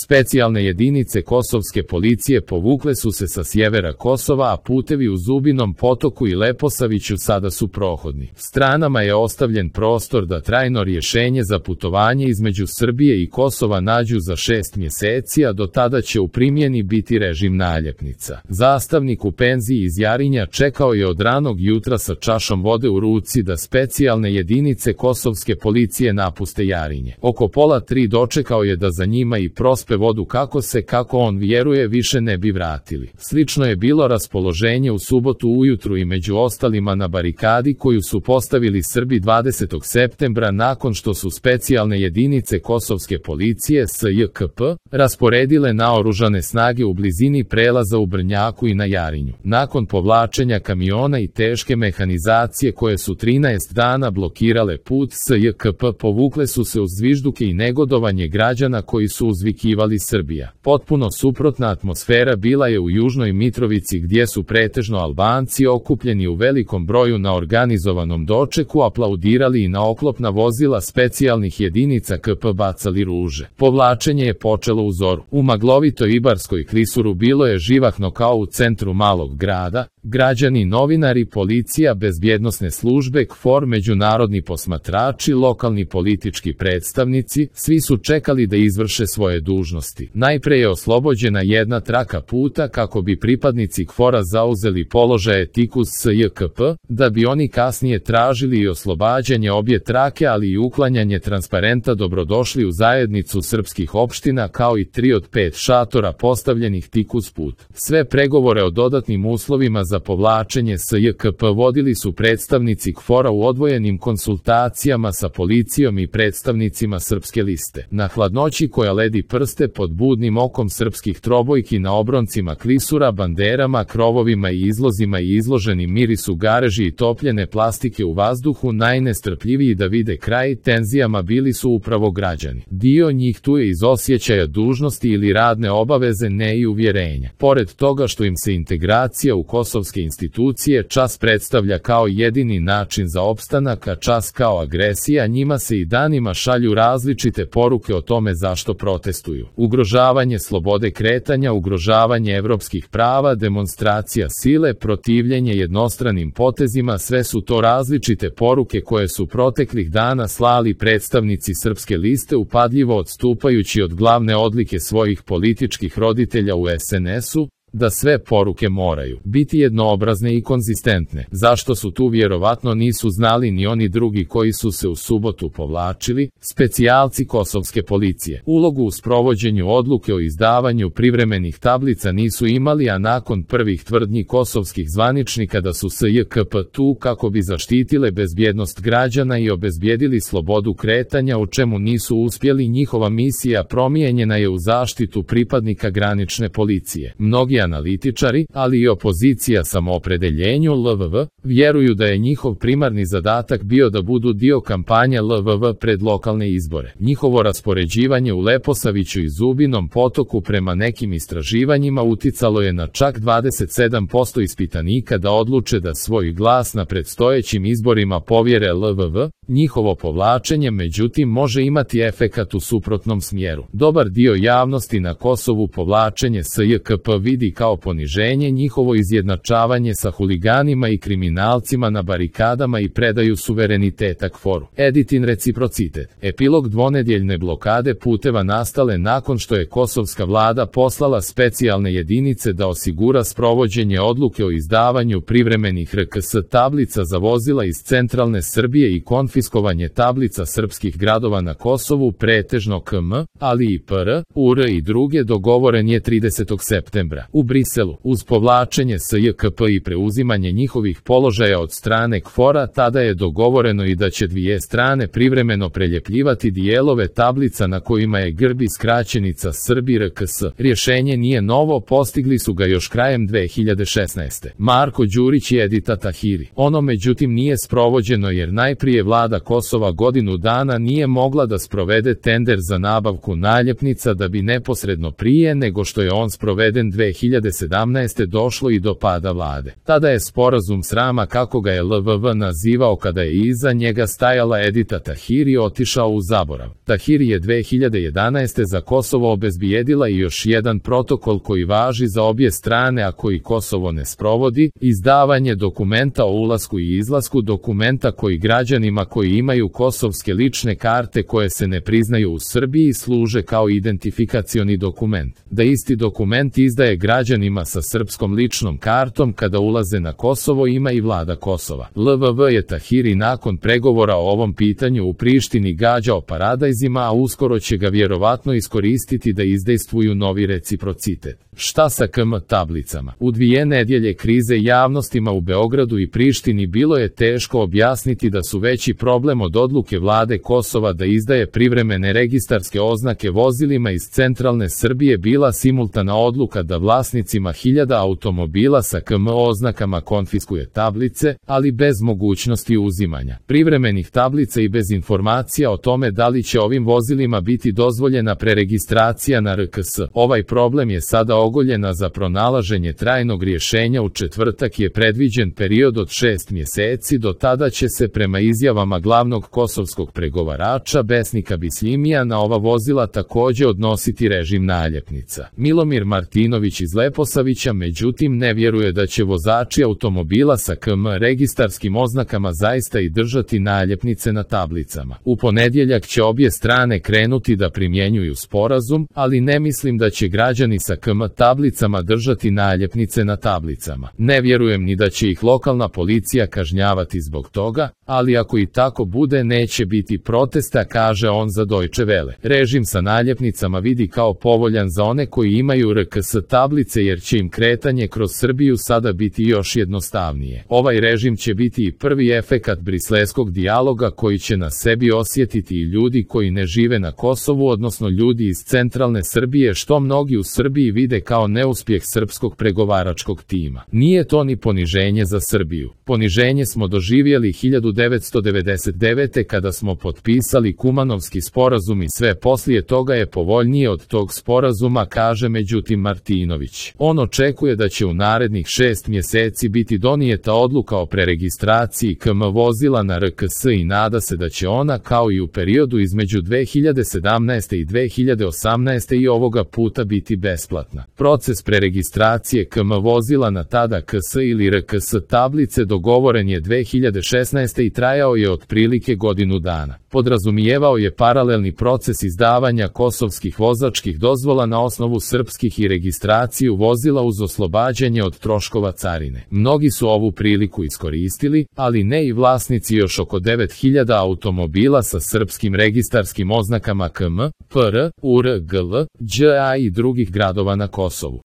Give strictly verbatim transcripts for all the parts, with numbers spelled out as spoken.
Specijalne jedinice kosovske policije povukle su se sa sjevera Kosova, a putevi u Zubinom Potoku i Leposaviću sada su prohodni. Stranama je ostavljen prostor da trajno rješenje za putovanje između Srbije i Kosova nađu za šest mjeseci, a do tada će u primjeni biti režim naljepnica. Zastavnik u penziji iz Jarinja čekao je od ranog jutra sa čašom vode u ruci da specijalne jedinice kosovske policije napuste Jarinje. Oko pola tri dočekao je da za njima i prospe vodu kako se, kako on vjeruje, više ne bi vratili. Slično je bilo raspoloženje u subotu ujutru i među ostalima na barikadi koju su postavili Srbi dvadesetog septembra nakon što su specijalne jedinice kosovske policije S J K P rasporedile naoružane snage u blizini prelaza u Brnjaku i na Jarinju. Nakon povlačenja kamiona i teške mehanizacije koje su trinaest dana blokirale put S J K P, povukle su se uz zvižduke i negodovanje građana koji su uzvikivali Srbija. Potpuno suprotna atmosfera bila je u Južnoj Mitrovici, gdje su pretežno Albanci okupljeni u velikom broju na organizovanom dočeku aplaudirali i na oklopna vozila specijalnih jedinica K P bacali ruže. Povlačenje je počelo u zoru. U maglovitoj Ibarskoj klisuru bilo je živahno kao u centru malog grada. Građani, novinari, policija, bezbjednosne službe, K F O R, međunarodni posmatrači, lokalni politički predstavnici, svi su čekali da izvrše svoje dužnosti. Najpre je oslobođena jedna traka puta kako bi pripadnici K F O R-a zauzeli položaje tik uz S J K P, da bi oni kasnije tražili i oslobađanje obje trake, ali i uklanjanje transparenta dobrodošli u zajednicu srpskih opština, kao i tri od pet šatora postavljenih tik uz put. Sve pregovore o dodatnim uslovima za povlačenje S J K P vodili su predstavnici K F O R-a u odvojenim konsultacijama sa policijom i predstavnicima Srpske liste. Na hladnoći koja ledi prste pod budnim okom srpskih trobojki na obroncima klisura, banderama, krovovima i izlozima i izloženim mirisu gareži i topljene plastike u vazduhu, najnestrpljiviji da vide kraj tenzijama bili su upravo građani. Dio njih tu je iz osjećaja dužnosti ili radne obaveze, ne i uvjerenja. Pored toga što im se integracija u kosovske institucije čas predstavlja kao jedini način za opstanak, a čas kao agresija, njima se i danima šalju različite poruke o tome zašto protestuju. Ugrožavanje slobode kretanja, ugrožavanje evropskih prava, demonstracija sile, protivljenje jednostranim potezima, sve su to različite poruke koje su proteklih dana slali predstavnici Srpske liste, upadljivo odstupajući od glavne odlike svojih političkih roditelja u S N S-u, da sve poruke moraju biti jednoobrazne i konzistentne. Zašto su tu, vjerovatno nisu znali ni oni drugi koji su se u subotu povlačili. Specijalci kosovske policije ulogu u sprovođenju odluke o izdavanju privremenih tablica nisu imali, a nakon prvih tvrdnji kosovskih zvaničnika da su S J K P tu kako bi zaštitile bezbjednost građana i obezbjedili slobodu kretanja, u čemu nisu uspjeli, njihova misija promijenjena je u zaštitu pripadnika granične policije. Mnogi analitičari, ali i opozicija samoopredeljenju L V V, vjeruju da je njihov primarni zadatak bio da budu dio kampanje L V V pred lokalne izbore. Njihovo raspoređivanje u Leposaviću i Zubinom Potoku prema nekim istraživanjima uticalo je na čak dvadeset sedam posto ispitanika da odluče da svoj glas na predstojećim izborima povjere L V V. Njihovo povlačenje, međutim, može imati efekat u suprotnom smjeru. Dobar dio javnosti na Kosovu povlačenje S J K P vidi kao poniženje, njihovo izjednačavanje sa huliganima i kriminalcima na barikadama i predaju suvereniteta K F O R-u. Editin reciprocitet. Epilog dvonedjeljne blokade puteva nastale nakon što je kosovska vlada poslala specijalne jedinice da osigura sprovođenje odluke o izdavanju privremenih R K S tablica za vozila iz centralne Srbije i konfiskovanje tablica srpskih gradova na Kosovu, pretežno K M, ali i P R, U R i druge, dogovoren je tridesetog septembra. U Briselu, uz povlačenje S J K P i preuzimanje njihovih položaja od strane K F O R-a, tada je dogovoreno i da će dvije strane privremeno preljepljivati dijelove tablica na kojima je grb i skraćenica Srbi R K S. Rješenje nije novo, postigli su ga još krajem dve hiljade šesnaeste. Marko Đurić i Edita Tahiri. Ono međutim nije sprovođeno jer najprije vlada Kosova godinu dana nije mogla da sprovede tender za nabavku naljepnica, da bi neposredno prije nego što je on sproveden dve hiljade hiljade sedamnaeste. došlo i do pada vlade. Tada je sporazum srama, kako ga je L V V nazivao kada je iza njega stajala Edita Tahiri, otišao u zaborav. Tahiri je dve hiljade jedanaeste. za Kosovo obezbijedila i još jedan protokol koji važi za obje strane, a koji Kosovo ne sprovodi, izdavanje dokumenta o ulasku i izlasku, dokumenta koji građanima koji imaju kosovske lične karte koje se ne priznaju u Srbiji služe kao identifikacioni dokument. Da isti dokument izdaje građanima sa srpskom ličnom kartom kada ulaze na Kosovo ima i vlada Kosova. L V V je Tahiri nakon pregovora o ovom pitanju u Prištini gađao paradajzima, a uskoro će ga vjerovatno iskoristiti da izdejstvuju novi reciprocitet. Šta sa K M tablicama? U dvije nedjelje krize javnostima u Beogradu i Prištini bilo je teško objasniti da su veći problem od odluke vlade Kosova da izdaje privremene registarske oznake vozilima iz centralne Srbije bila simultana odluka da vlasnicima hiljada automobila sa K M oznakama konfiskuje tablice, ali bez mogućnosti uzimanja privremenih tablica i bez informacija o tome da li će ovim vozilima biti dozvoljena preregistracija na R K S. Ovaj problem je sada ogoljena za pronalaženje trajnog rješenja. U četvrtak je predviđen period od šest mjeseci, do tada će se prema izjavama glavnog kosovskog pregovarača Besnika Bisljimija na ova vozila također odnositi režim naljepnica. Milomir Martinović iz Leposavića međutim ne vjeruje da će vozači automobila sa K M registarskim oznakama zaista i držati naljepnice na tablicama. U ponedjeljak će obje strane krenuti da primjenjuju sporazum, ali ne mislim da će građani sa K M tablicama držati naljepnice na tablicama. Ne vjerujem ni da će ih lokalna policija kažnjavati zbog toga, ali ako i tako bude neće biti protesta, kaže on za Deutsche Welle. Režim sa naljepnicama vidi kao povoljan za one koji imaju R K S tablice jer će im kretanje kroz Srbiju sada biti još jednostavnije. Ovaj režim će biti i prvi efekat briselskog dijaloga koji će na sebi osjetiti i ljudi koji ne žive na Kosovu, odnosno ljudi iz centralne Srbije, što mnogi u Srbiji vide kao neuspjeh srpskog pregovaračkog tima. Nije to ni poniženje za Srbiju. Poniženje smo doživjeli hiljadu devetsto devedeset devete. kada smo potpisali Kumanovski sporazum i sve poslije toga je povoljnije od tog sporazuma, kaže međutim Martinović. On očekuje da će u narednih šest mjeseci biti donijeta odluka o preregistraciji K M vozila na R K S i nada se da će ona kao i u periodu između dve hiljade sedamnaeste. i dve hiljade osamnaeste. i ovoga puta biti besplatna. Proces preregistracije K M vozila na tada K S ili R K S tablice dogovoren je dve hiljade šesnaeste. i trajao je otprilike godinu dana. Podrazumijevao je paralelni proces izdavanja kosovskih vozačkih dozvola na osnovu srpskih i registraciju vozila uz oslobađanje od troškova carine. Mnogi su ovu priliku iskoristili, ali ne i vlasnici još oko devet hiljada automobila sa srpskim registarskim oznakama K M, P R, U R, G L, Đ A i drugih gradova na Kosovu.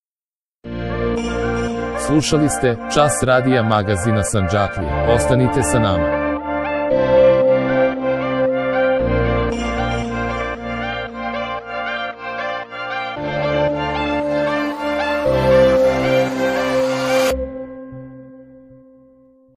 Slušali ste Čas radija magazina Sandžaklija. Ostanite sa nama.